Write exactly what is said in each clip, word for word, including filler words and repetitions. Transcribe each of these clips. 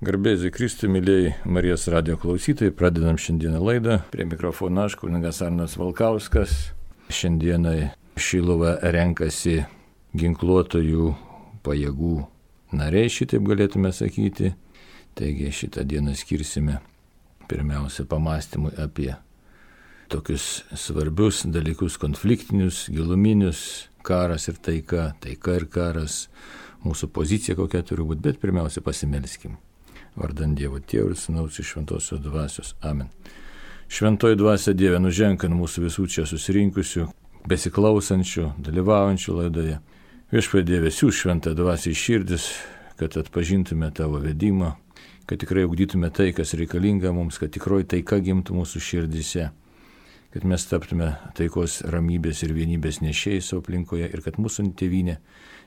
Garbėsiu Kristui, mėlyjei Marijos radijo klausytojai, pradedam šiandieną laidą. Prie mikrofono aš, kunigas Arnas Valkauskas. Šiandieną Šiluvą renkasi ginkluotojų pajėgų nariai, šitaip galėtume sakyti. Taigi šitą dieną skirsime pirmiausia pamastymui apie tokius svarbius dalykus, konfliktinius, giluminius, karas ir taika, taika ir karas, mūsų pozicija kokia turi būti, bet pirmiausia pasimelskim. Vardant Dievo Tėvo ir Sūnaus ir Šventosios Dvasios. Amen. Šventoji Dvasia Dieve, nuženk ant mūsų visų čia susirinkusių, besiklausančių, dalyvaujančių laidoje. Viešpatie Dieve, siųsk Šventą Dvasią į širdis, kad atpažintume Tavo vedimą, kad tikrai ugdytume tai, kas reikalinga mums, kad tikroji taika gimtų mūsų širdise, kad mes taptume taikos, ramybės ir vienybės nešėjai savo aplinkoje ir kad mūsų tėvynė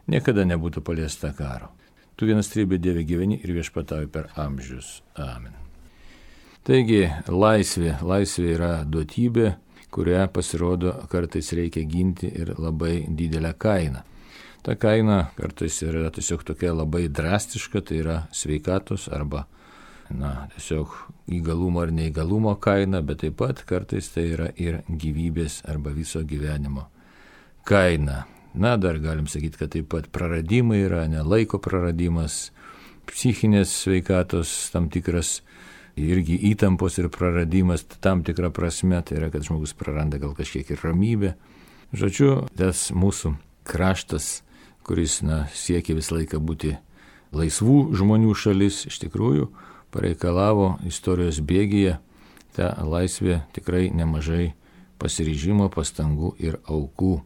niekada nebūtų paliesta karo. Tu vienas trybė Dieve gyveni ir viešpatauji per amžius. Amen. Taigi, laisvė. Laisvė yra duotybė, kurią pasirodo kartais reikia ginti ir labai didelę kainą. Ta kaina kartais yra tiesiog tokia labai drastiška, tai yra sveikatos arba, na, tiesiog įgalumo ar neįgalumo kaina, bet taip pat kartais tai yra ir gyvybės arba viso gyvenimo kaina. Na, dar galim sakyti, kad taip pat praradimai yra, ne laiko praradimas, psichinės sveikatos tam tikras, irgi įtampos ir praradimas tam tikrą prasme, tai yra, kad žmogus praranda gal kažkiek ir ramybę. Žodžiu, tas mūsų kraštas, kuris, na, siekia visą laiką būti laisvų žmonių šalis, iš tikrųjų pareikalavo istorijos bėgyje tą laisvę tikrai nemažai pasiryžimo, pastangų ir aukų.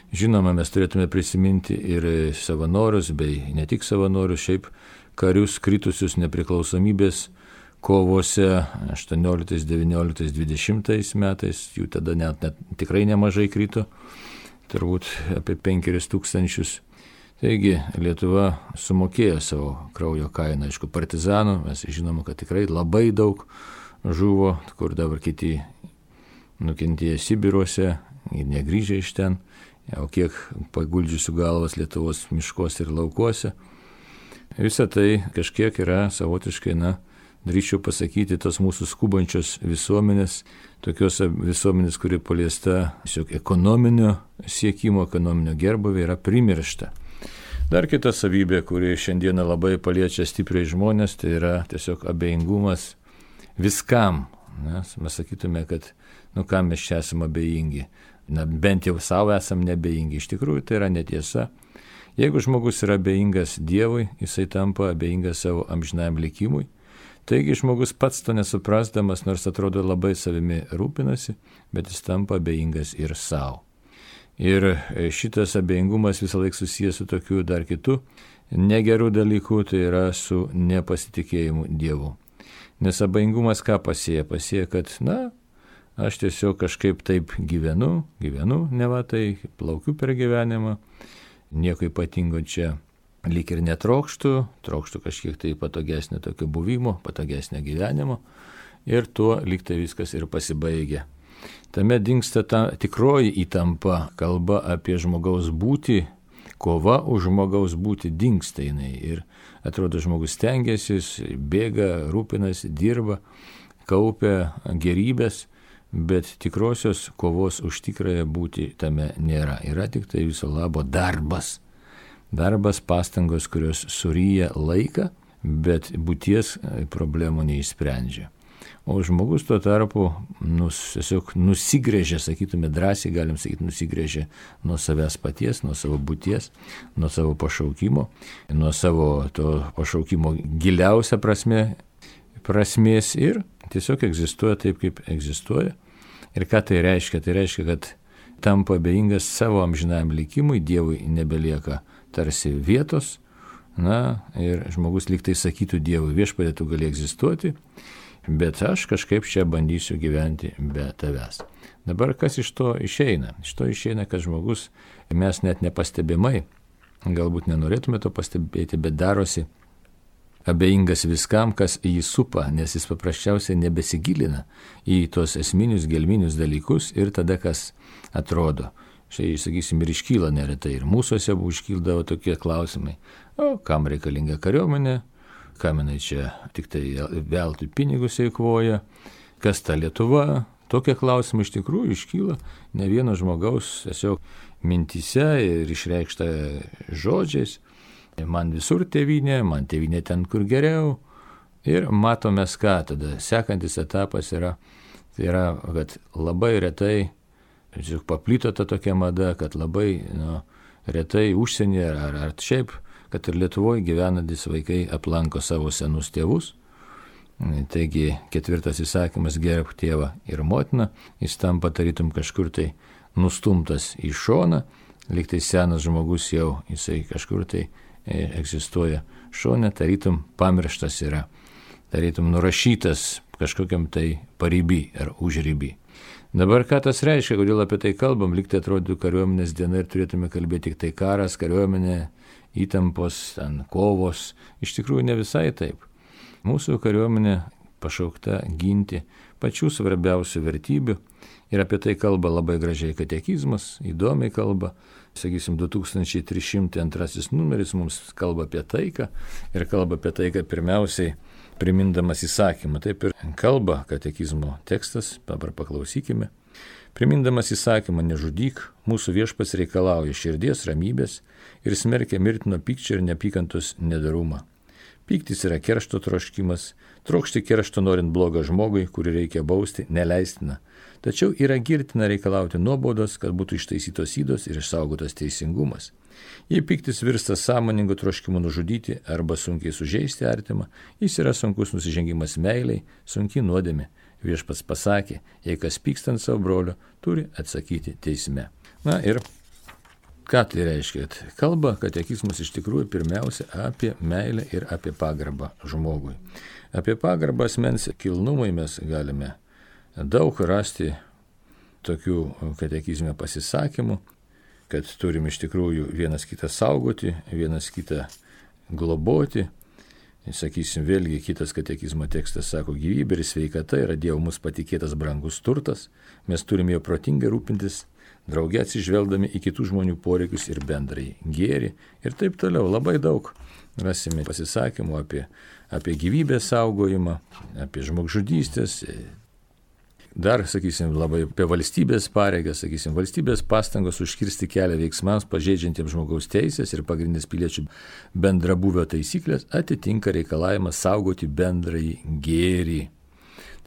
Žinoma, mes turėtume prisiminti ir savanorius, bei ne tik savanorius, šiaip karius kritusius nepriklausomybės kovose aštuonioliktais, devynioliktais, dvidešimtais metais, jų tada net, net tikrai nemažai krito, turbūt apie penkeris tūkstančius. Taigi Lietuva sumokėjo savo kraujo kainą, aišku, partizanų, mes žinome, kad tikrai labai daug žuvo, kur dabar kiti nukentėjo Sibiruose ir negrįžę iš ten. O kiek paguldžiusių galvas Lietuvos miškuose ir laukuose. Visa tai kažkiek yra savotiškai, na, drįsčiau pasakyti, tos mūsų skubančios visuomenės, tokios visuomenės, kuri paliesta tiesiog ekonominio siekimo, ekonominio gerbūvio, yra primiršta. Dar kita savybė, kuri šiandieną labai paliečia stipriai žmonės, tai yra tiesiog abejingumas viskam. Nes mes sakytume, kad, nu, kam mes čia esame abejingi. Na, bent jau savo esam nebejingi. Iš tikrųjų, tai yra netiesa. Jeigu žmogus yra abejingas Dievui, jisai tampa abejingas savo amžinajam likimui. Taigi žmogus pats to nesuprasdamas, nors atrodo labai savimi rūpinasi, bet jis tampa abejingas ir savo. Ir šitas abejingumas visą laiką susijęs su tokiu dar kitu negerų dalykų, tai yra su nepasitikėjimu Dievu. Nes abejingumas ką pasėja? Pasėja, kad, na, aš tiesiog kažkaip taip gyvenu, gyvenu, neva tai, plaukiu per gyvenimą, nieko ypatingo čia lyg ir netrokštų, trokštų kažkiek tai patogesnio tokio buvimo, patogesnio gyvenimo ir tuo lyg tai viskas ir pasibaigia. Tame dingsta ta tikroji įtampa, kalba apie žmogaus būtį, kova už žmogaus būtį dingsta jinai ir atrodo žmogus stengiasi, bėga, rūpinasi, dirba, kaupia gerybės, bet tikrosios kovos už tikrąją būtį tame nėra. Yra tik tai viso labo darbas. Darbas, pastangos, kurios suryja laiką, bet būties problemų neišsprendžia. O žmogus tuo tarpu nus, tiesiog nusigrėžia, sakytume drąsiai, galim sakyti, nusigrėžia nuo savęs paties, nuo savo būties, nuo savo pašaukimo, nuo savo to pašaukimo giliausia prasme, prasmės ir tiesiog egzistuoja taip, kaip egzistuoja. Ir ką tai reiškia? Tai reiškia, kad tampa abejingas savo amžinajam likimui, Dievui nebelieka tarsi vietos, na, ir žmogus lyg tai sakytų Dievui, viešpatie, tu gali egzistuoti, bet aš kažkaip čia bandysiu gyventi be tavęs. Dabar kas iš to išeina? Iš to išeina, kad žmogus, mes net nepastebimai, galbūt nenorėtume to pastebėti, bet darosi abejingas viskam, kas jį supa, nes jis paprasčiausiai nebesigilina į tos esminius, gelminius dalykus ir tada kas atrodo. Štai, sakysim, ir iškyla neretai, ir mūsųse iškyldavo tokie klausimai, o kam reikalinga kariuomenė, kam jinai čia tik tai veltui pinigus eikvoja, kas ta Lietuva. Tokie klausimai iš tikrųjų iškyla ne vieno žmogaus tiesiog mintyse ir išreikšta žodžiais. Man visur tėvynė, man tėvynė ten, kur geriau. Ir matome ką tada. Sekantis etapas yra, tai yra, kad labai retai, tiesiog paplito ta tokia mada, kad labai nu, retai užsienyje ar, ar šiaip, kad ir Lietuvoje gyvenantis vaikai aplanko savo senus tėvus. Taigi ketvirtas įsakymas gerbk tėvą ir motiną, jis tampa tarytum kažkur tai nustumtas į šoną, lyg tai senas žmogus jau jisai kažkur tai egzistuoja šone, tarytum pamirštas yra, tarytum nurašytas kažkokiam tai pariby ar užryby. Dabar ką tas reiškia, kodėl apie tai kalbam, lyg tai atrodytų kariuomenės diena ir turėtume kalbėti tik tai karas, kariuomenė, įtampos, ten kovos, iš tikrųjų ne visai taip. Mūsų kariuomenė pašaukta ginti pačių svarbiausių vertybių ir apie tai kalba labai gražiai katekizmas, įdomiai kalba. Sakysim, du tūkstančiai trys šimtai antrasis numeris mums kalba apie taiką ir kalba apie taiką pirmiausiai primindamas įsakymą. Taip ir kalba katekizmo tekstas, dabar paklausykime. Primindamas įsakymą nežudyk, mūsų viešpats reikalauja širdies ramybės ir smerkia mirtino pykčio ir neapykantos nedarumą. Pyktis yra keršto troškimas, trokšti keršto norint blogą žmogui, kurį reikia bausti, neleistina. Tačiau yra girtina reikalauti nuobaudos, kad būtų ištaisytos ydos ir išsaugotas teisingumas. Jei pyktis virsta sąmoningu troškimu nužudyti arba sunkiai sužeisti artimą, jis yra sunkus nusižengimas meiliai, sunki nuodėmė. Viešpats pasakė, jei kas pyksta ant savo brolio, turi atsakyti teisme. Na ir ką tai reiškia? Kalba katekizmas iš tikrųjų pirmiausia apie meilę ir apie pagarbą žmogui. Apie pagarbą asmens kilnumui mes galime daug rasti tokių katekizme pasisakymų, kad turim iš tikrųjų vienas kitą saugoti, vienas kitą globoti. Sakysim, vėlgi kitas katekizmo tekstas sako, gyvybė ir sveikata yra Dievo mums patikėtas brangus turtas, mes turime jo protingai rūpintis, drauge atsižvelgdami į kitų žmonių poreikius ir bendrai gėrį ir taip toliau. Labai daug rasime pasisakymų apie, apie gyvybės saugojimą, apie žmogžudystės. Dar, sakysim, labai apie valstybės pareigas, sakysim, valstybės pastangos užkirsti kelią veiksmams pažeidžiantiems žmogaus teisės ir pagrindinės piliečių bendrabūvio taisyklės atitinka reikalavimą saugoti bendrąjį gėrį.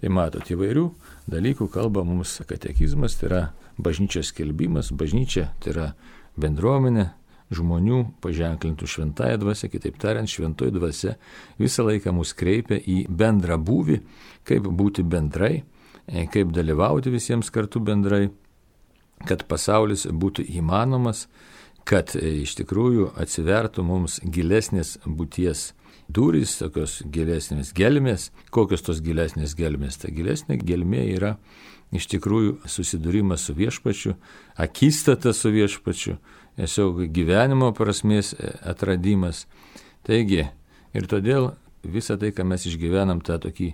Tai matot, įvairių dalykų kalba mums katekizmas, tai yra bažnyčios skelbimas, bažnyčia tai yra bendruomenė žmonių paženklintų šventąją dvasią, kitaip tariant, šventoji dvasia visą laiką mus kreipia į bendrą būvį, kaip būti bendrai, kaip dalyvauti visiems kartu bendrai, kad pasaulis būtų įmanomas, kad iš tikrųjų atsivertų mums gilesnės būties durys, tokios gilesnės gelmės. Kokios tos gilesnės gelmės? Ta gilesnė gelmė yra iš tikrųjų susidūrimas su viešpačiu, akistata su viešpačiu, tiesiog gyvenimo prasmės atradimas. Taigi, ir todėl visą tai, ką mes išgyvenam, tą tokį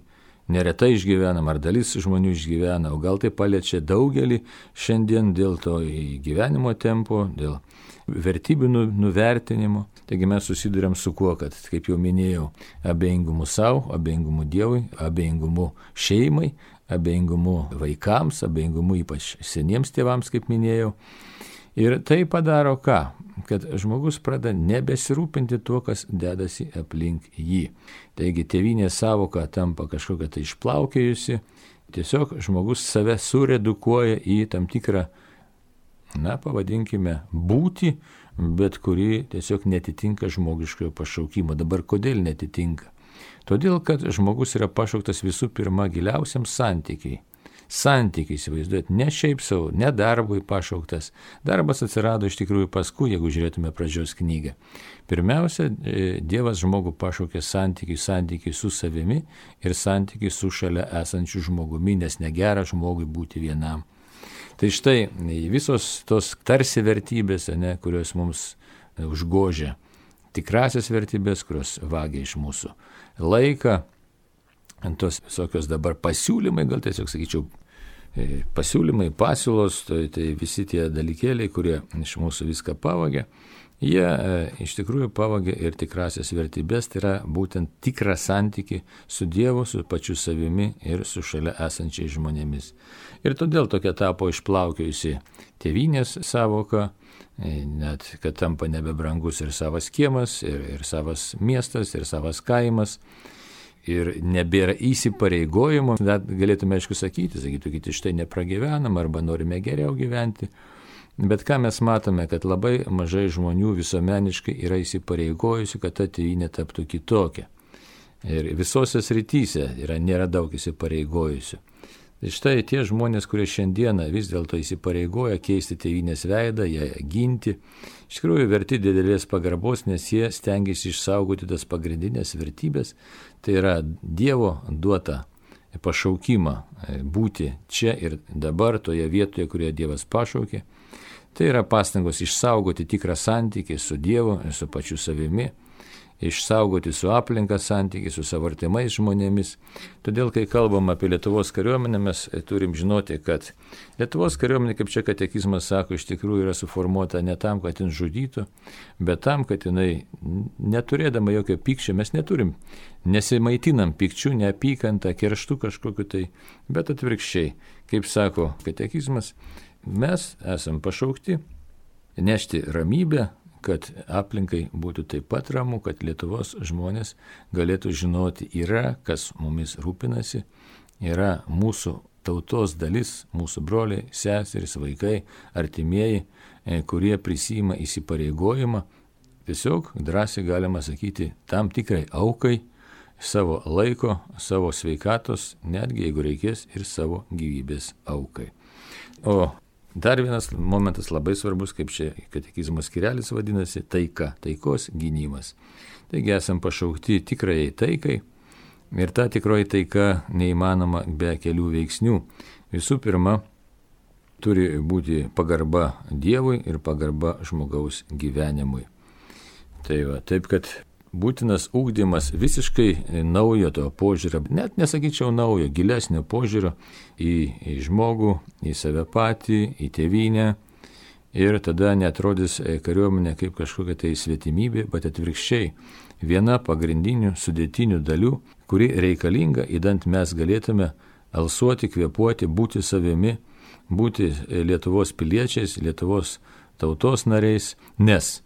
neretai išgyvenam, ar dalis žmonių išgyvena, o gal tai paliečia daugelį šiandien dėl to gyvenimo tempo, dėl vertybių nuvertinimo. Taigi mes susiduriam su kuo, kad, kaip jau minėjau, abejingumu savo, abejingumu Dievui, abejingumu šeimai, abejingumu vaikams, abejingumu ypač seniems tėvams, kaip minėjau. Ir tai padaro ką? Kad žmogus pradeda nebesirūpinti tuo, kas dedasi aplink jį. Taigi tėvynės savoka tampa kažkokia tai išplaukėjusi. Tiesiog žmogus save suredukuoja į tam tikrą, na, pavadinkime, būtį, bet kuri tiesiog netitinka žmogiškojo pašaukimo. Dabar kodėl netitinka? Todėl, kad žmogus yra pašauktas visų pirma giliausiam santykiai. Santykiai, įsivaizduojat, ne šiaip savo, ne darbui pašauktas. Darbas atsirado iš tikrųjų paskui, jeigu žiūrėtume pradžios knygą. Pirmiausia, Dievas žmogų pašaukė santykiai, santykiai su savimi ir santykiai su šalia esančiu žmogumi, nes negera žmogui būti vienam. Tai štai visos tos tarsi vertybės, ne, kurios mums užgožia, tikrasias vertybės, kurios vagia iš mūsų laiką, tos visokios dabar pasiūlymai, gal tiesiog sakyčiau, pasiūlymai, pasiūlos, tai, tai visi tie dalykėliai, kurie iš mūsų viską pavagia. Jie e, iš tikrųjų pavogė ir tikrasias vertybės, tai yra būtent tikrą santykį su Dievu, su pačiu savimi ir su šalia esančiais žmonėmis. Ir todėl tokia tapo išplaukiojusi tėvynės savoka, e, net kad tampa nebebrangus ir savas kiemas, ir, ir savas miestas, ir savas kaimas. Ir nebėra įsipareigojimo, net galėtume aišku sakyti, sakytų kiti, štai nepragyvenam arba norime geriau gyventi. Bet ką mes matome, kad labai mažai žmonių visuomeniškai yra įsipareigojusių, kad ta tėvynė taptų kitokia. Ir visose srityse yra, nėra daug įsipareigojusių. Tai štai tie žmonės, kurie šiandieną vis dėlto įsipareigoja keisti tėvynės veidą, ją ginti, iš tikrųjų verti didelės pagarbos, nes jie stengiasi išsaugoti tas pagrindinės vertybės, tai yra Dievo duotą pašaukimą būti čia ir dabar, toje vietoje, kurioje Dievas pašaukė. Tai yra pastangos išsaugoti tikrą santykį su Dievu ir su pačiu savimi, išsaugoti su aplinka santykį, su savo artimais žmonėmis. Todėl, kai kalbam apie Lietuvos kariuomenę, mes turim žinoti, kad Lietuvos kariuomenė, kaip čia katekizmas sako, iš tikrųjų yra suformuota ne tam, kad jin žudytų, bet tam, kad jinai, neturėdama jokio pykčio, mes neturim, nesimaitinam pykčių, neapykantą, kerštų kažkokiu tai, bet atvirkščiai, kaip sako katekizmas, mes esam pašaukti nešti ramybę, kad aplinkai būtų taip pat ramu, kad Lietuvos žmonės galėtų žinoti, yra, kas mumis rūpinasi, yra mūsų tautos dalis, mūsų broliai, seserys, vaikai, artimieji, kurie prisima įsipareigojimą, tiesiog drąsiai galima sakyti tam tikrai aukai, savo laiko, savo sveikatos, netgi jeigu reikės ir savo gyvybės aukai. O dar vienas momentas labai svarbus, kaip čia katekizmo skirelis vadinasi, taika, taikos gynimas. Taigi esam pašaukti tikrajai taikai ir ta tikroji taika neįmanoma be kelių veiksnių. Visų pirma, turi būti pagarba Dievui ir pagarba žmogaus gyvenimui. Tai va, taip kad būtinas ugdymas visiškai naujo to požiūrio, net nesakyčiau naujo, gilesnio požiūrio į, į žmogų, į save patį, į tėvynę. Ir tada netrodys kariuomenė kaip kažkokia tai svetimybė, bet atvirkščiai viena pagrindinių sudėtinių dalių, kuri reikalinga, idant mes galėtume alsuoti, kvėpuoti, būti savimi, būti Lietuvos piliečiais, Lietuvos tautos nariais, nes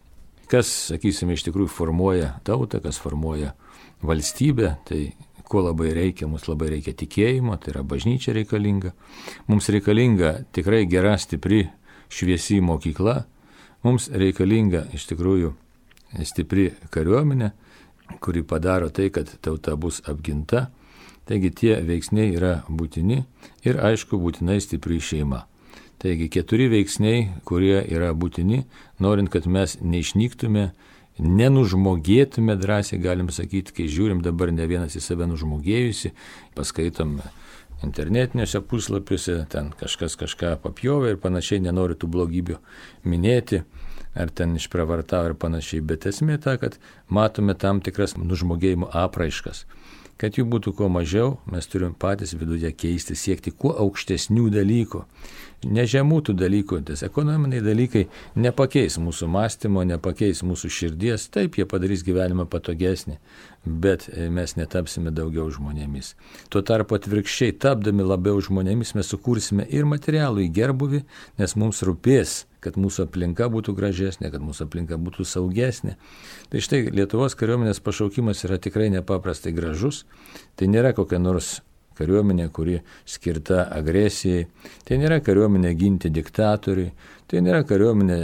kas, sakysime, iš tikrųjų formuoja tautą, kas formuoja valstybę, tai ko labai reikia, mums labai reikia tikėjimo, tai yra bažnyčia reikalinga. Mums reikalinga tikrai gera, stipri, šviesi mokykla, mums reikalinga iš tikrųjų stipri kariuomenė, kuri padaro tai, kad tauta bus apginta. Taigi tie veiksniai yra būtini ir aišku būtinai stipri šeima. Taigi keturi veiksniai, kurie yra būtini, norint, kad mes neišnyktume, nenužmogėtume, drąsiai galim sakyti, kai žiūrim dabar ne vienas į save nužmogėjusi, paskaitom internetiniuose puslapiuose, ten kažkas kažką papjovė ir panašiai, nenori tų blogybių minėti, ar ten išpravartavo ir panašiai, bet esmė ta, kad matome tam tikras nužmogėjimo apraiškas. Kad jų būtų kuo mažiau, mes turim patys viduje keisti, siekti kuo aukštesnių dalykų. Ne žemų tų dalykų, tas ekonominiai dalykai nepakeis mūsų mąstymo, nepakeis mūsų širdies, taip jie padarys gyvenimą patogesnį, bet mes netapsime daugiau žmonėmis. Tuo tarpu atvirkščiai, tapdami labiau žmonėmis, mes sukursime ir materialų į gerbuvį, nes mums rūpės, kad mūsų aplinka būtų gražesnė, kad mūsų aplinka būtų saugesnė. Tai štai Lietuvos kariuomenės pašaukimas yra tikrai nepaprastai gražus. Tai nėra kokia nors kariuomenė, kuri skirta agresijai. Tai nėra kariuomenė ginti diktatoriui. Tai nėra kariuomenė,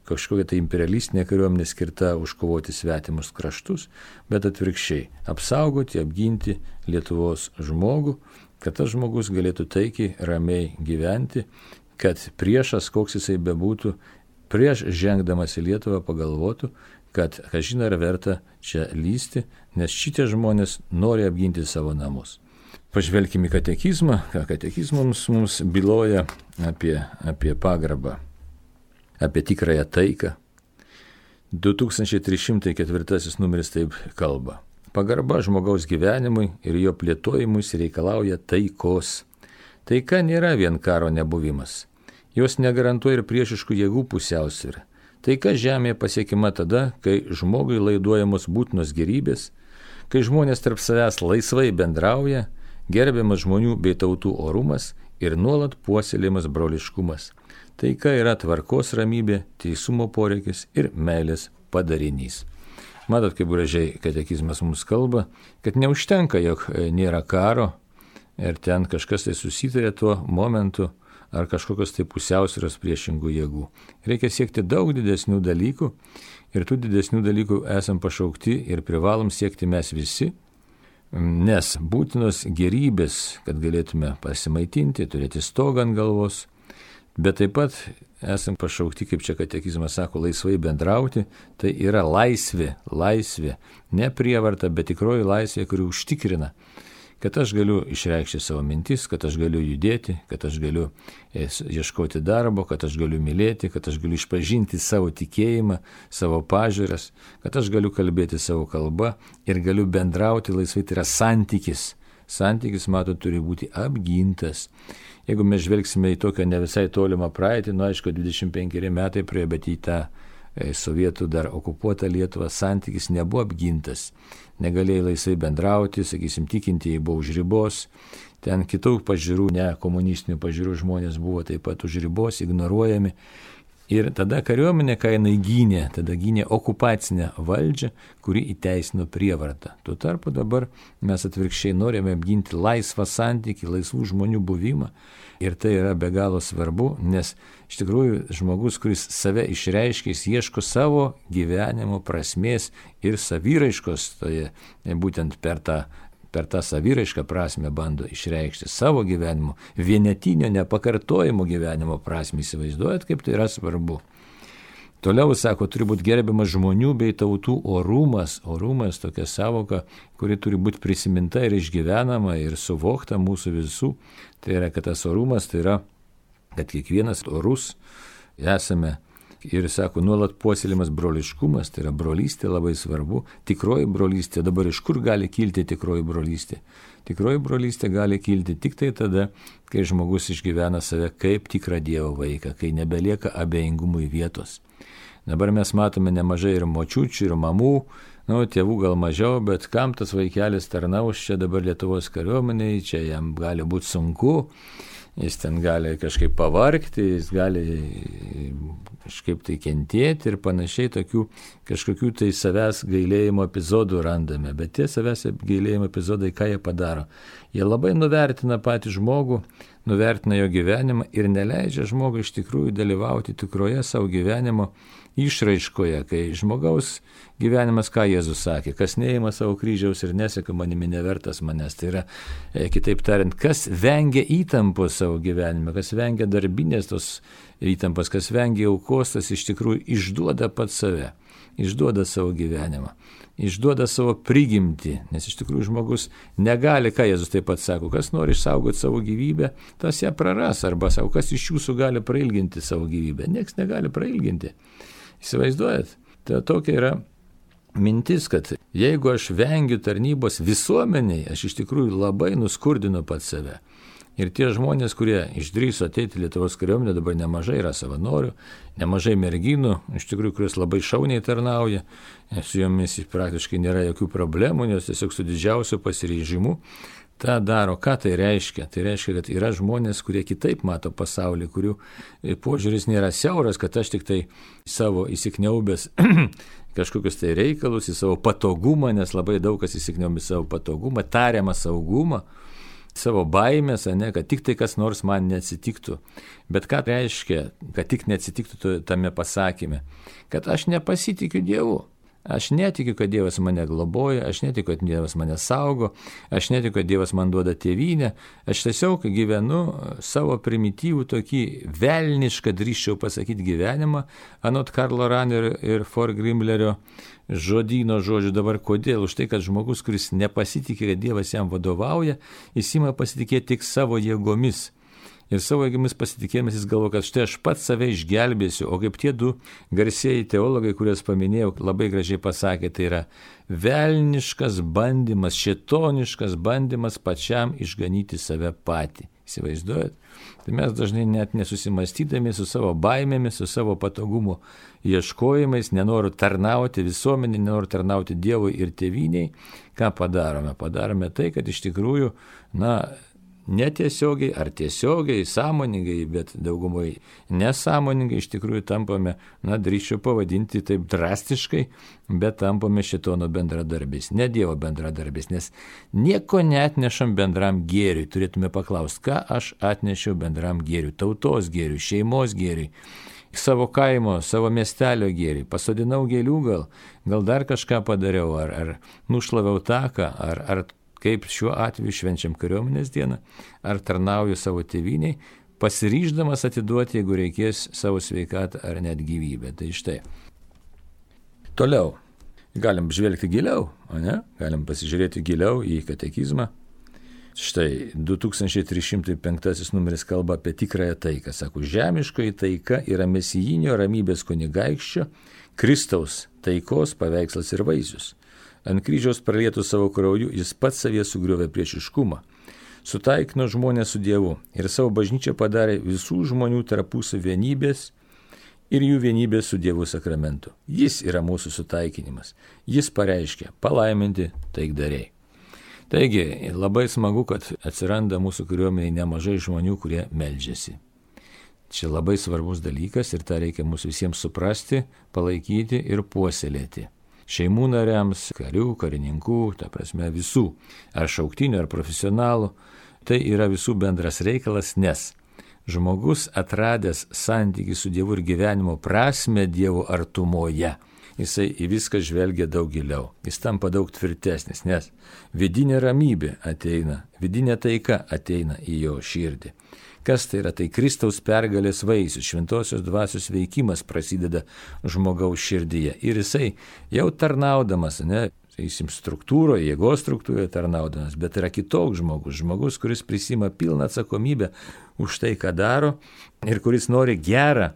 kažkokia tai imperialistinė kariuomenė skirta užkovoti svetimus kraštus, bet atvirkščiai apsaugoti, apginti Lietuvos žmogų, kad tas žmogus galėtų taikiai, ramiai gyventi, kad priešas, koks jisai bebūtų, prieš žengdamas į Lietuvą pagalvotų, kad kažin ar verta čia lysti, nes šitie žmonės nori apginti savo namus. Pažvelkime į katekizmą, ką katekizmas mums byloja apie, apie pagarbą, apie tikrąją taiką. du tūkstančiai trys šimtai ketvirtasis numeris taip kalba. Pagarba žmogaus gyvenimui ir jo plėtojimui reikalauja taikos. Taika nėra vien karo nebuvimas. Jos negarantuoja ir priešiškų jėgų pusiausvyrą. Taika žemėje pasiekima tada, kai žmogui laiduojamos būtinos gėrybės, kai žmonės tarp savęs laisvai bendrauja, gerbiamas žmonių bei tautų orumas ir nuolat puoselėjimas broliškumas. Taika yra tvarkos ramybė, teisumo poreikis ir meilės padarinys. Matot, kaip gražiai katekizmas mums kalba, kad neužtenka, jog nėra karo ir ten kažkas tai susitarė tuo momentu ar kažkokios tai pusiausvyros priešingų jėgų. Reikia siekti daug didesnių dalykų ir tų didesnių dalykų esam pašaukti ir privalom siekti mes visi, nes būtinos gėrybės, kad galėtume pasimaitinti, turėti stogą ant galvos, bet taip pat esam pašaukti, kaip čia katekizmas sako, laisvai bendrauti, tai yra laisvė, laisvė, ne prievarta, bet tikroji laisvė, kuri užtikrina, kad aš galiu išreikšti savo mintis, kad aš galiu judėti, kad aš galiu ieškoti darbo, kad aš galiu mylėti, kad aš galiu išpažinti savo tikėjimą, savo pažiūras, kad aš galiu kalbėti savo kalbą ir galiu bendrauti laisvai, tai yra santykis. Santykis, matot, turi būti apgintas. Jeigu mes žvelgsime į tokią ne visai tolimą praeitį, nu aišku, dvidešimt penkeri metai praėjo, bet į tą sovietų dar okupuotą Lietuvą santykis nebuvo apgintas. Negalėjai laisvai bendrauti, sakysim, tikintieji buvo už ribos, ten kitų pažiūrų, ne komunistinių pažiūrų žmonės buvo taip pat už ribos, ignoruojami. Ir tada kariuomenė, kai jinai gynė, tada gynė okupacinę valdžią, kuri įteisino prievartą. Tuo tarpu dabar mes atvirkščiai norime apginti laisvą santykį, laisvų žmonių buvimą. Ir tai yra be galo svarbu, nes iš tikrųjų žmogus, kuris save išreiškia, jis ieško savo gyvenimo prasmės ir savyraiškos, toje būtent per tą per tą saviraišką prasme bando išreikšti savo gyvenimo, vienetinio, nepakartojimo gyvenimo prasme. Įsivaizduojat, kaip tai yra svarbu. Toliau, sako, turi būti gerbiamas žmonių bei tautų orumas. Orumas tokia savoka, kuri turi būti prisiminta ir išgyvenama ir suvokta mūsų visų. Tai yra, kad tas orumas, tai yra, kad kiekvienas orus esame. Ir sako, nuolat puoselėjimas broliškumas, tai yra brolystė labai svarbu, tikroji brolystė. Dabar iš kur gali kilti tikroji brolystė? Tikroji brolystė gali kilti tik tai tada, kai žmogus išgyvena save kaip tikrą Dievo vaiką, kai nebelieka abejingumui vietos. Dabar mes matome nemažai ir močiučių, ir mamų, nu, tėvų gal mažiau, bet kam tas vaikelis tarnaus čia dabar Lietuvos kariuomeniai, čia jam gali būti sunku. Jis ten gali kažkaip pavargti, jis gali kažkaip tai kentėti ir panašiai, tokių kažkokių tai savęs gailėjimo epizodų randame. Bet tie savęs gailėjimo epizodai, ką jie padaro? Jie labai nuvertina patį žmogų, nuvertina jo gyvenimą ir neleidžia žmogui iš tikrųjų dalyvauti tikroje savo gyvenimo išraiškoje, kai žmogaus gyvenimas, ką Jėzus sakė, kas neima savo kryžiaus ir neseka manimi, nevertas manęs. Tai yra, e, kitaip tariant, kas vengia įtampos savo gyvenime, kas vengia darbinės tos įtampos, kas vengia aukos, tas iš tikrųjų išduoda pats save, išduoda savo gyvenimą, išduoda savo prigimtį, nes iš tikrųjų žmogus negali, ką Jėzus taip pat sako, kas nori išsaugoti savo gyvybę, tas ją praras, arba sako, kas iš jūsų gali prailginti savo gyvybę, nieks negali prailginti. Įsivaizduojat, tai tokia yra mintis, kad jeigu aš vengiu tarnybos visuomeniai, aš iš tikrųjų labai nuskurdinu pats save. Ir tie žmonės, kurie išdrįso ateiti Lietuvos kariuomenę, dabar nemažai yra savanorių, nemažai merginų, iš tikrųjų, kurios labai šauniai tarnauja, su jomis praktiškai nėra jokių problemų, nes tiesiog su didžiausiu pasiryžimu tą daro. Ką tai reiškia? Tai reiškia, kad yra žmonės, kurie kitaip mato pasaulį, kurių požiūris nėra siauras, kad aš tik tai savo įsikniaubęs kažkokius tai reikalus, į savo patogumą, nes labai daug kas įsikniaubė savo patogumą, tariamą saugumą, savo baimės, ne, kad tik tai kas nors man neatsitiktų. Bet ką reiškia, kad tik neatsitiktų tame pasakyme? Kad aš nepasitikiu Dievu. Aš netikiu, kad Dievas mane globoja, aš netikiu, kad Dievas mane saugo, aš netikiu, kad Dievas man duoda tėvynę. Aš tiesiog gyvenu savo primityvų tokį velnišką, drįsčiau pasakyti, gyvenimą, anot Karlo Ranerio ir For Grimlerio žodyno žodžių. Dabar kodėl? Už tai, kad žmogus, kuris nepasitikė, kad Dievas jam vadovauja, jis ima pasitikėti tik savo jėgomis. Ir savo jėgomis pasitikėjimas jis galvo, kad štai aš pats save išgelbėsiu, o kaip tie du garsieji teologai, kuriuos paminėjau, labai gražiai pasakė, tai yra velniškas bandymas, šėtoniškas bandymas pačiam išganyti save patį. Įsivaizduojat? Tai mes dažnai net nesusimastydami su savo baimėmis, su savo patogumo ieškojimais, nenoriu tarnauti visuomenį, nenoriu tarnauti Dievui ir tėvyniai, ką padarome? Padarome tai, kad iš tikrųjų, na, netiesiogiai ar tiesiogiai, sąmoningai, bet daugumai nesąmoningai iš tikrųjų tampame, na, drįsčiau pavadinti taip drastiškai, bet tampame šėtono bendradarbiais, ne Dievo bendradarbiais, nes nieko neatnešam bendram gėriui. Turėtume paklausti, ką aš atnešiau bendram gėriui, tautos gėriui, šeimos gėriui, savo kaimo, savo miestelio gėriui, pasodinau gėlių gal, gal dar kažką padariau, ar, ar nušlaviau taką, ar, ar kaip šiuo atveju švenčiam kariuomenės dieną, ar tarnauju savo tėvyniai, pasiryždamas atiduoti, jeigu reikės, savo sveikatą ar net gyvybę. Tai štai. Toliau. Galim žvelgti giliau, o ne? Galim pasižiūrėti giliau į katekizmą. Štai, du tūkstančiai trys šimtai penktasis numeris kalba apie tikrąją taiką. Sako, žemiškoji taika yra mesijinio ramybės kunigaikščio, Kristaus taikos paveikslas ir vaisius. Ant kryžiaus pralietų savo krauju jis pats savyje sugriovė priešiškumą, sutaikino žmonės su Dievu ir savo bažnyčią padarė visų žmonių tarpusavio vienybės ir jų vienybės su Dievu sakramentu. Jis yra mūsų sutaikinimas. Jis pareiškia palaiminti taikdariai. Taigi, labai smagu, kad atsiranda mūsų kariuomenėje nemažai žmonių, kurie meldžiasi. Čia labai svarbus dalykas ir tą reikia mūsų visiems suprasti, palaikyti ir puoselėti. Šeimų nariams, karių, karininkų, ta prasme visų, ar šauktinių, ar profesionalų, tai yra visų bendras reikalas, nes žmogus atradęs santykį su Dievu ir gyvenimo prasme Dievo artumoje, jisai į viską žvelgia daug giliau, jis tampa daug tvirtesnis, nes vidinė ramybė ateina, vidinė taika ateina į jo širdį. Kas tai yra? Tai Kristaus pergalės vaisius, šventosios dvasios veikimas prasideda žmogaus širdyje. Ir jisai jau tarnaudamas, ne, sakysim, struktūroje, jėgos struktūroje tarnaudamas, bet yra kitoks žmogus, žmogus, kuris prisima pilną atsakomybę už tai, ką daro ir kuris nori gerą,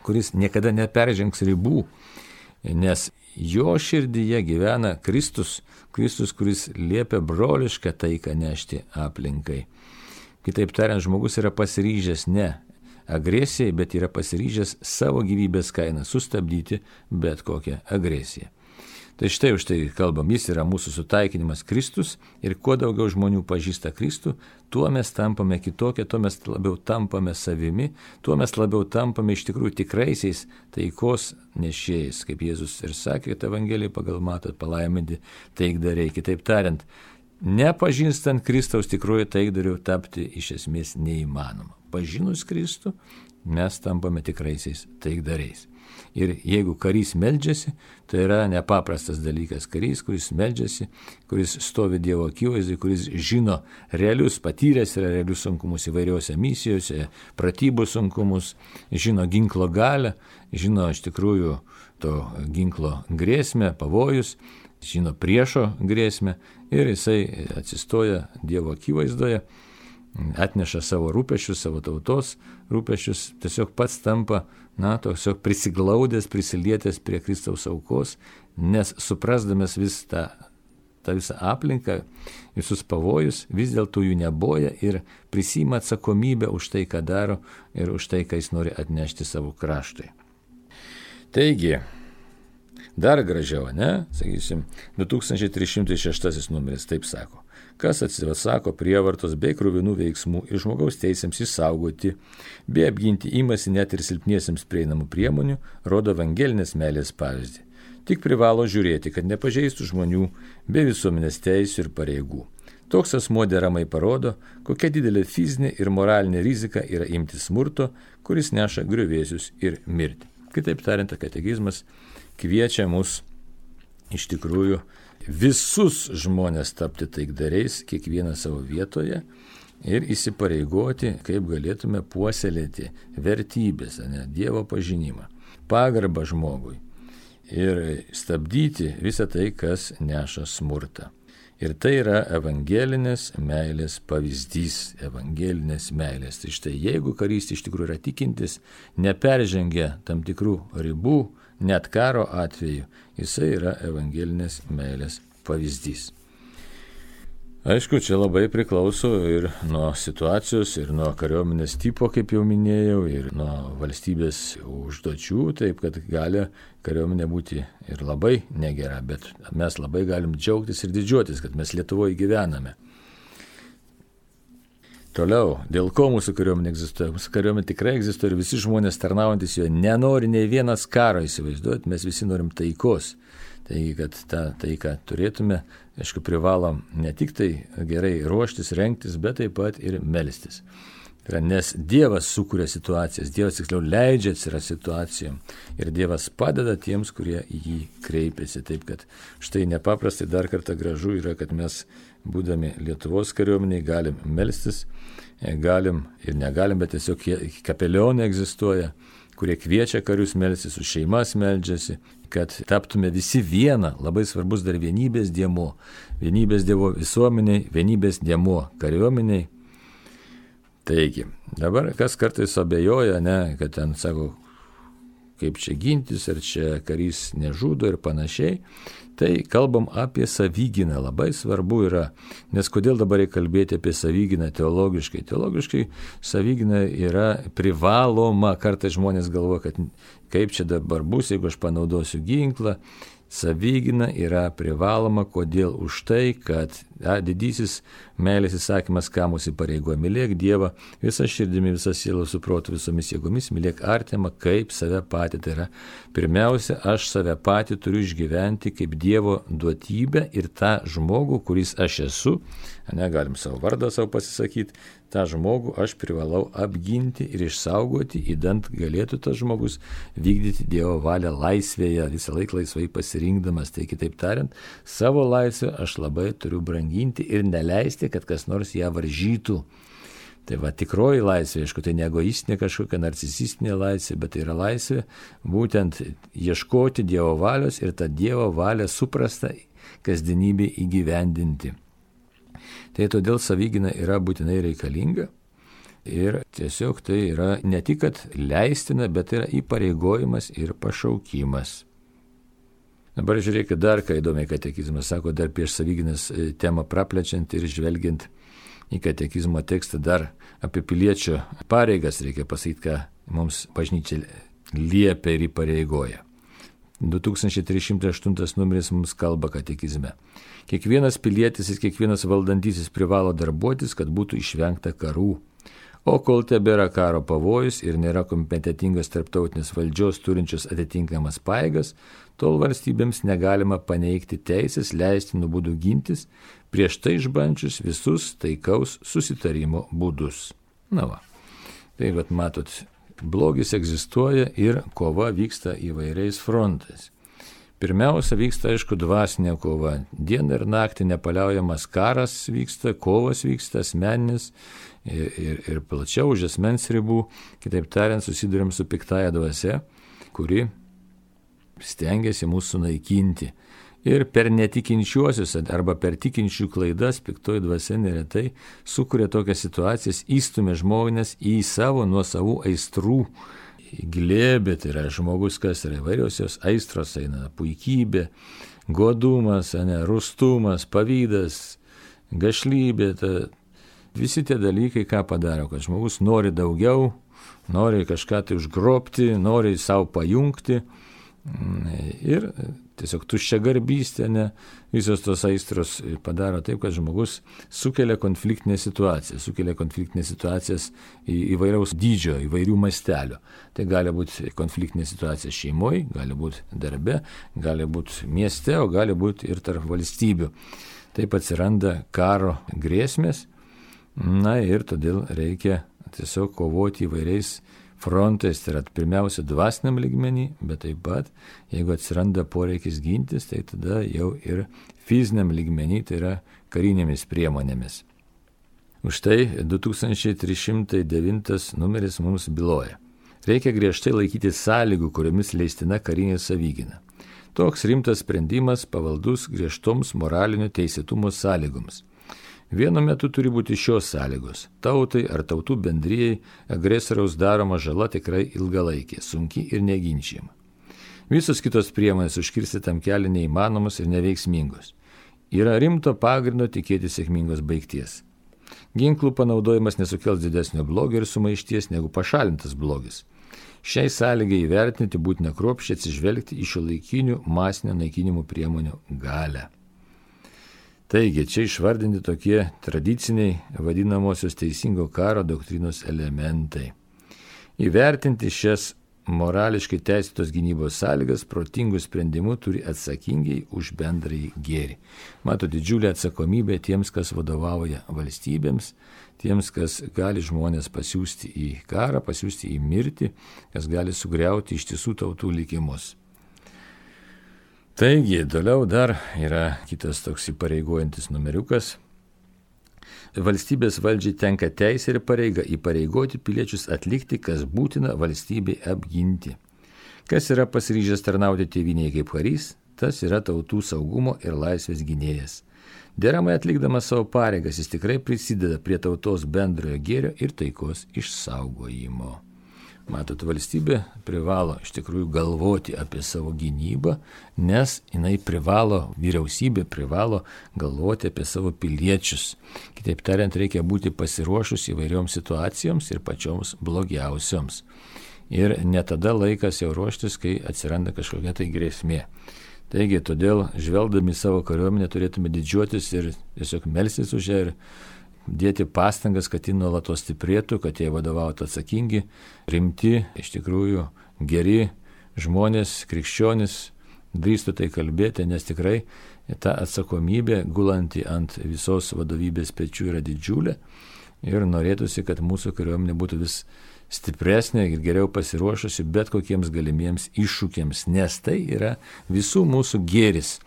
kuris niekada neperžengs ribų, nes jo širdyje gyvena Kristus, Kristus, kuris liepia brolišką taiką nešti aplinkai. Kitaip tariant, žmogus yra pasiryžęs ne agresijai, bet yra pasiryžęs savo gyvybės kainą sustabdyti bet kokią agresiją. Tai štai už tai kalbam, jis yra mūsų sutaikinimas Kristus ir kuo daugiau žmonių pažįsta Kristų, tuo mes tampame kitokie, tuo mes labiau tampame savimi, tuo mes labiau tampame iš tikrųjų tikraisiais taikos nešėjais, kaip Jėzus ir sakė, kad Evangelijai pagal matot palaiminti taikdariai. Kitaip tariant, nepažįstant Kristaus tikroji taikdariu tapti iš esmės neįmanoma. Pažinus Kristų, mes tampame tikraisiais taikdariais. Ir jeigu karys meldžiasi, tai yra nepaprastas dalykas. Karys, kuris meldžiasi, kuris stovi Dievo akivaizdai, kuris žino realius, patyręs yra realius sunkumus įvairiose misijose, pratybų sunkumus, žino ginklo galią, žino iš tikrųjų to ginklo grėsmę, pavojus, žino priešo grėsmę ir jisai atsistoja Dievo akivaizdoje, atneša savo rūpesčius, savo tautos rūpesčius, tiesiog pats tampa, na, tiesiog prisiglaudęs, prisilietęs prie Kristaus aukos, nes suprasdamas vis tą, tą visą aplinką, visus pavojus, vis dėlto jų neboja ir prisima atsakomybę už tai, ką daro ir už tai, ką jis nori atnešti savo kraštui. Taigi, dar gražiau, ne? Sakysim, du tūkstančiai trys šimtai šeštasis numeris taip sako. Kas atsisako prievartos bei kruvinų veiksmų ir žmogaus teisėms įsaugoti, bei apginti imasi net ir silpniesiems prieinamų priemonių, rodo evangelinės meilės pavyzdį. Tik privalo žiūrėti, kad nepažeistų žmonių bei visuomenės teisių ir pareigų. Toks asmuo deramai parodo, kokia didelė fizinė ir moralinė rizika yra imti smurto, kuris neša griuvėsius ir mirtį. Kitaip tariant, katekizmas kviečia mus iš tikrųjų visus žmonės tapti taikdariais, kiekvieną savo vietoje ir įsipareigoti, kaip galėtume puoselėti vertybės, ne, Dievo pažinimą, pagarbą žmogui ir stabdyti visą tai, kas neša smurtą. Ir tai yra evangelinės meilės pavyzdys, evangelinės meilės. Tai štai, jeigu karys iš tikrųjų yra tikintis, neperžengia tam tikrų ribų, net karo atveju, jisai yra evangelinės meilės pavyzdys. Aišku, čia labai priklauso ir nuo situacijos, ir nuo kariuomenės tipo, kaip jau minėjau, ir nuo valstybės užduočių, taip kad gali kariuomenė būti ir labai negera, bet mes labai galim džiaugtis ir didžiuotis, kad mes Lietuvoje gyvename. Toliau, dėl ko mūsų kariuomenė egzistuoja? Mūsų kariuomenė tikrai egzistuoja ir visi žmonės tarnaujantis jo nenori nei vienas karo įsivaizduoti, mes visi norim taikos. Taigi, kad tą taiką turėtume, aišku, privalom ne tik tai gerai ruoštis, rengtis, bet taip pat ir melstis. Tai yra, nes Dievas sukuria situacijas, Dievas tiksliau leidžia atsirasti situacijom ir Dievas padeda tiems, kurie į jį kreipiasi. Taip, kad štai nepaprastai dar kartą gražu yra, kad mes, būdami Lietuvos kariuomeniai, galim melstis, galim ir negalim, bet tiesiog kapelionai egzistuoja, kurie kviečia karius melstis, su šeimas meldžiasi, kad taptume visi viena, labai svarbus dar vienybės dėmuo, vienybės dievo visuomeniai, vienybės dėmuo kariuomeniai. Taigi, dabar kas kartais abejoja, ne, kad ten sako, kaip čia gintis, ar čia karys nežudo ir panašiai, tai kalbam apie savygyną, labai svarbu yra, nes kodėl dabar reikia kalbėti apie savygyną teologiškai? Teologiškai savygyna yra privaloma, kartais žmonės galvoja, kad kaip čia dabar bus, jeigu aš panaudosiu ginklą. Savygyna yra privaloma, kodėl už tai, kad a, didysis meilės įsakymas, ką mūsų įpareigoja, mylėk Dievą visą širdimi, visą sielą, su protu, visomis jėgomis, mylėk artimą kaip save patį. Tai yra, pirmiausia, aš save patį turiu išgyventi kaip Dievo duotybę ir tą žmogų, kuris aš esu, negalim savo vardą savo pasisakyti, tą žmogų aš privalau apginti ir išsaugoti, įdant galėtų tas žmogus vykdyti Dievo valią laisvėje, visą laiką laisvai pasirinkdamas. Tai kitaip tariant, savo laisvę aš labai turiu branginti ir neleisti, kad kas nors ją varžytų. Tai va, tikroji laisvė, aišku, tai ne egoistinė kažkokia narcisistinė laisvė, bet tai yra laisvė būtent ieškoti Dievo valios ir tą Dievo valią suprastą kasdienybę įgyvendinti. Tai todėl savygyna yra būtinai reikalinga ir tiesiog tai yra ne tik, kad leistina, bet yra įpareigojimas ir pašaukimas. Dabar žiūrėkit dar, ką įdomiai katekizmas sako, dar prieš savygynas temą praplečiant ir žvelgiant į katekizmo tekstą, dar apie piliečio pareigas reikia pasakyti, ką mums bažnyčia liepia ir įpareigoja. du tūkstančiai trys šimtai aštuntas numeris mums kalba katekizme. Kiekvienas pilietis ir kiekvienas valdantysis privalo darbuotis, kad būtų išvengta karų. O kol tebėra karo pavojus ir nėra kompetentingos tarptautinės valdžios turinčios atitinkamas pajėgas, tol valstybėms negalima paneigti teisės leistinų būdų gintis, prieš tai išbandžius visus taikaus susitarimo būdus. Na va, tai vat matot, blogis egzistuoja ir kova vyksta įvairiais frontais. Pirmiausia, vyksta, aišku, dvasinė kova. Dieną ir naktį nepaliaujamas karas vyksta, kovas vyksta, asmeninis ir, ir, ir plačiau už asmens ribų. Kitaip tariant, susidurėm su piktaja dvasia, kuri stengiasi mūsų naikinti. Ir per netikinčiuosius arba per tikinčių klaidas piktoji dvasia neretai sukuria tokias situacijas, įstumia žmonės į savo nuosavų aistrų glėbį. Tai yra žmogus, kas yra įvairiausios aistros, eina puikybė, godumas, ne, rustumas, pavydas, gašlybė. Ta, visi tie dalykai ką padaro, kad žmogus nori daugiau, nori kažką tai užgrobti, nori savo pajungti. Ir tiesiog tuščia garbystė, ne, visos tos aistros padaro taip, kad žmogus sukelia konfliktinę situaciją, sukelia konfliktinės situacijas į įvairiaus dydžio, įvairių mastelio. Tai gali būti konfliktinė situacija šeimoje, gali būti darbe, gali būti mieste, o gali būti ir tarp valstybių. Taip atsiranda karo grėsmės, na ir todėl reikia tiesiog kovoti įvairiais frontais, tai yra pirmiausia dvasiniam lygmenį, bet taip pat, jeigu atsiranda poreikis gintis, tai tada jau ir fiziniam lygmenį, tai yra karinėmis priemonėmis. Už tai du tūkstančiai trys šimtai devintas numeris mums byloja. Reikia griežtai laikyti sąlygų, kuriomis leistina karinė savygyna. Toks rimtas sprendimas pavaldus griežtoms moralinio teisėtumo sąlygoms. Vienu metu turi būti šios sąlygos. Tautai ar tautų bendrijai agresoriaus daroma žala tikrai ilgalaikė, sunki ir neginčiama. Visos kitos priemonės užkirsti tam kelią neįmanomos ir neveiksmingos. yra rimto pagrindo tikėti sėkmingos baigties. Ginklų panaudojimas nesukels didesnio blogio ir sumaišties negu pašalintas blogis. Šiai sąlygai įvertinti būtina kruopščiai atsižvelgti į šiuolaikinių masinio naikinimo priemonių galią. Taigi, čia išvardinti tokie tradiciniai vadinamosios teisingo karo doktrinos elementai. Įvertinti šias morališkai teisėtos gynybos sąlygas protingų sprendimų turi atsakingai už bendrąjį gėrį. Mato didžiulę atsakomybę tiems, kas vadovauja valstybėms, tiems, kas gali žmonės pasiųsti į karą, pasiųsti į mirtį, kas gali sugriauti ištisų tautų likimus. Taigi, toliau dar yra kitas toks įpareigojantis numeriukas. Valstybės valdžiai tenka teisė ir pareiga įpareigoti piliečius atlikti, kas būtina valstybei apginti. Kas yra pasiryžęs tarnauti tėvynėje kaip karys, tas yra tautų saugumo ir laisvės gynėjas. Deramai atlikdamas savo pareigas, jis tikrai prisideda prie tautos bendrojo gėrio ir taikos išsaugojimo. Matot, valstybė privalo iš tikrųjų galvoti apie savo gynybą, nes jinai privalo, vyriausybė privalo galvoti apie savo piliečius. Kitaip tariant, reikia būti pasiruošus įvairioms situacijoms ir pačioms blogiausioms. Ir ne tada laikas jau ruoštis, kai atsiranda kažkokia tai grėsmė. Taigi, todėl žvelgdami savo kariuomenę turėtume didžiuotis ir tiesiog melstis už ją ir dėti pastangas, kad ji nuolatos stiprėtų, kad jie vadovautų atsakingi, rimti, iš tikrųjų geri žmonės, krikščionys, drįstų tai kalbėti, nes tikrai ta atsakomybė gulanti ant visos vadovybės pečių yra didžiulė ir norėtųsi, kad mūsų kariuomenė būtų vis stipresnė ir geriau pasiruošusi bet kokiems galimiems iššūkiams, nes tai yra visų mūsų gėris.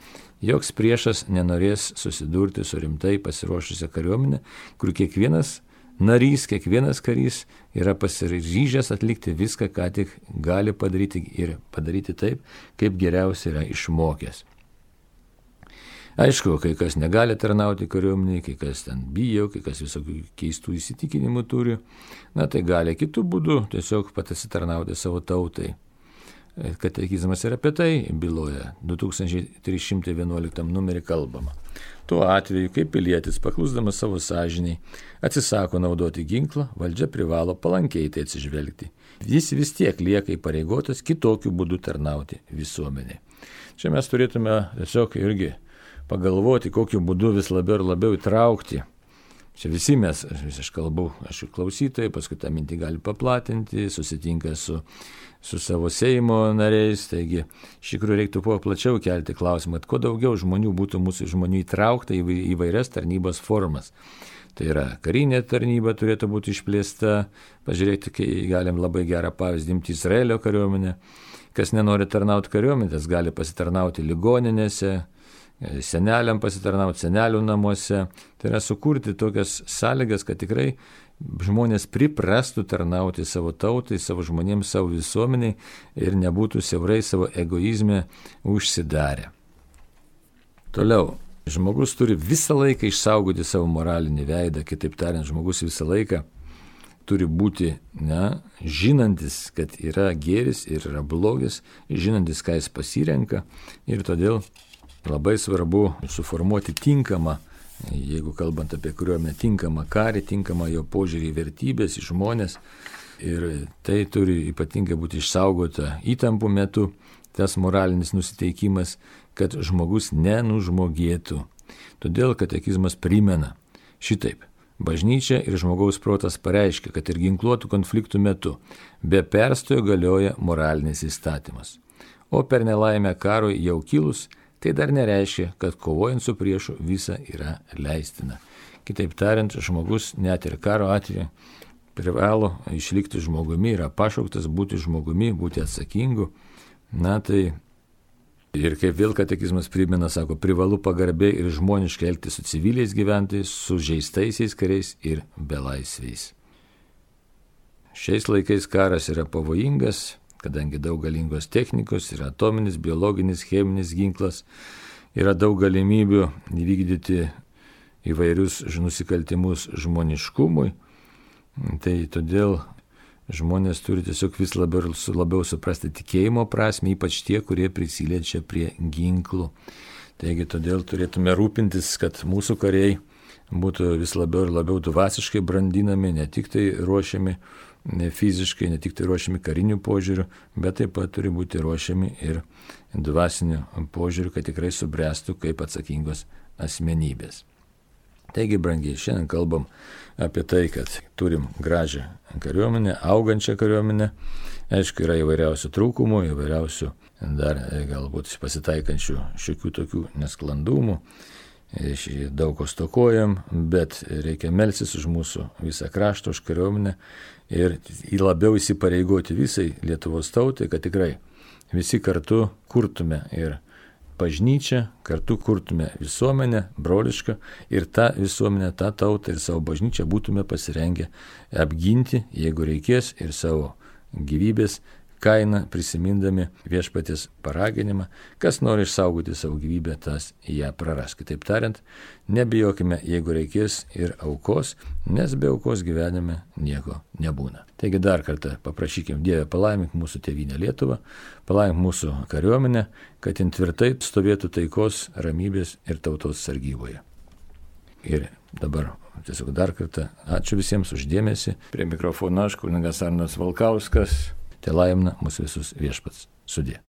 Joks priešas nenorės susidurti su rimtai pasiruošusią kariuomenę, kur kiekvienas narys, kiekvienas karys yra pasiryžęs atlikti viską, ką tik gali padaryti ir padaryti taip, kaip geriausiai yra išmokęs. Aišku, kai kas negali tarnauti kariuomeniai, kai kas ten bijo, kai kas visokių keistų įsitikinimų turi, na tai gali kitų būdų tiesiog pasitarnauti savo tautai. Katekizmas ir apie tai byloja, du tūkstančiai trys šimtai vienuoliktam numerį kalbama. Tuo atveju, kai pilietis, paklusdamas savo sąžiniai, atsisako naudoti ginklą, valdžia privalo palankiai tai atsižvelgti. Jis vis tiek lieka įpareigotas kitokiu būdu tarnauti visuomeniai. Čia mes turėtume tiesiog irgi pagalvoti, kokiu būdu vis labiau ir labiau įtraukti. Čia visi mes, vis aš kalbu, aš klausytojai, paskui tą mintį gali paplatinti, susitinka su, su savo Seimo nariais, taigi iš tikrųjų reiktų po plačiau kelti klausimą, kad kuo daugiau žmonių būtų mūsų žmonių įtraukta į įvairias tarnybos formas. Tai yra karinė tarnyba turėtų būti išplėsta, pažiūrėti, kai galim labai gerą pavyzdį imti Izraelio kariuomenę, kas nenori tarnauti kariuomenės, gali pasitarnauti ligoninėse, seneliam pasitarnauti senelių namuose, tai yra sukurti tokias sąlygas, kad tikrai žmonės priprastų tarnauti savo tautai, savo žmonėms, savo visuomeniai ir nebūtų siaurai savo egoizme užsidarę. Toliau, žmogus turi visą laiką išsaugoti savo moralinį veidą, kitaip tariant, žmogus visą laiką turi būti, ne, žinantis, kad yra gėris ir yra blogis, žinantis, ką jis pasirenka ir todėl labai svarbu suformuoti tinkamą, jeigu kalbant apie kariuomenę, tinkamą karį, tinkamą jo požiūrį į vertybės, į žmonės. Ir tai turi ypatingai būti išsaugota įtampų metu, tas moralinis nusiteikimas, kad žmogus nenužmogėtų. Todėl katekizmas primena šitaip. Bažnyčia ir žmogaus protas pareiškia, kad ir ginkluotų konfliktų metu be perstojo galioja moralinis įstatymas. O per nelaimę karui jau kilus, tai dar nereiškia, kad kovojant su priešu visa yra leistina. Kitaip tariant, žmogus net ir karo atveju privalo išlikti žmogumi, yra pašauktas būti žmogumi, būti atsakingu. Na tai ir kaip vėl katekizmas primena, sako, privalu pagarbiai ir žmoniškai elgtis su civiliais gyventojais, su žeistaisiais kariais ir belaisviais. Šiais laikais karas yra pavojingas, kadangi daug galingos technikos, yra atominis, biologinis, cheminis ginklas, yra daug galimybių įvykdyti įvairius nusikaltimus žmoniškumui, tai todėl žmonės turi tiesiog vis labiau, labiau suprasti tikėjimo prasme, ypač tie, kurie prisiliečia prie ginklų. Taigi todėl turėtume rūpintis, kad mūsų kariai būtų vis labiau ir labiau dvasiškai brandinami, ne tik tai ruošiami ne fiziškai, ne tik tai ruošiami karinių požiūrių, bet taip pat turi būti ruošiami ir dvasinių požiūrių, kad tikrai subręstų kaip atsakingos asmenybės. Taigi, brangiai, šiandien kalbam apie tai, kad turim gražią kariuomenę, augančią kariuomenę. Aišku, yra įvairiausių trūkumų, įvairiausių dar galbūt pasitaikančių šiokių tokių nesklandumų. Daug ko stokojam, bet reikia melstis už mūsų visą kraštą, už kariuomenę ir labiau įsipareigoti visai Lietuvos tautai, kad tikrai visi kartu kurtume ir bažnyčią, kartu kurtume visuomenę brolišką ir tą visuomenę, tą tautą ir savo bažnyčią būtume pasirengę apginti, jeigu reikės, ir savo gyvybės kainą prisimindami viešpaties paraginimą, kas nori išsaugoti savo gyvybę, tas ją praras. Kitaip tariant, nebijokime, jeigu reikės, ir aukos, nes be aukos gyvenime nieko nebūna. Taigi dar kartą paprašykim Dievę palaimink mūsų tėvynę Lietuvą, palaimink mūsų kariuomenę, kad jin tvirtai stovėtų taikos, ramybės ir tautos sargyboje. Ir dabar tiesiog dar kartą ačiū visiems už dėmesį. Prie mikrofono aš, kunigas Arnas Valkauskas. Te laimina mūsų visus viešpats. Sudie.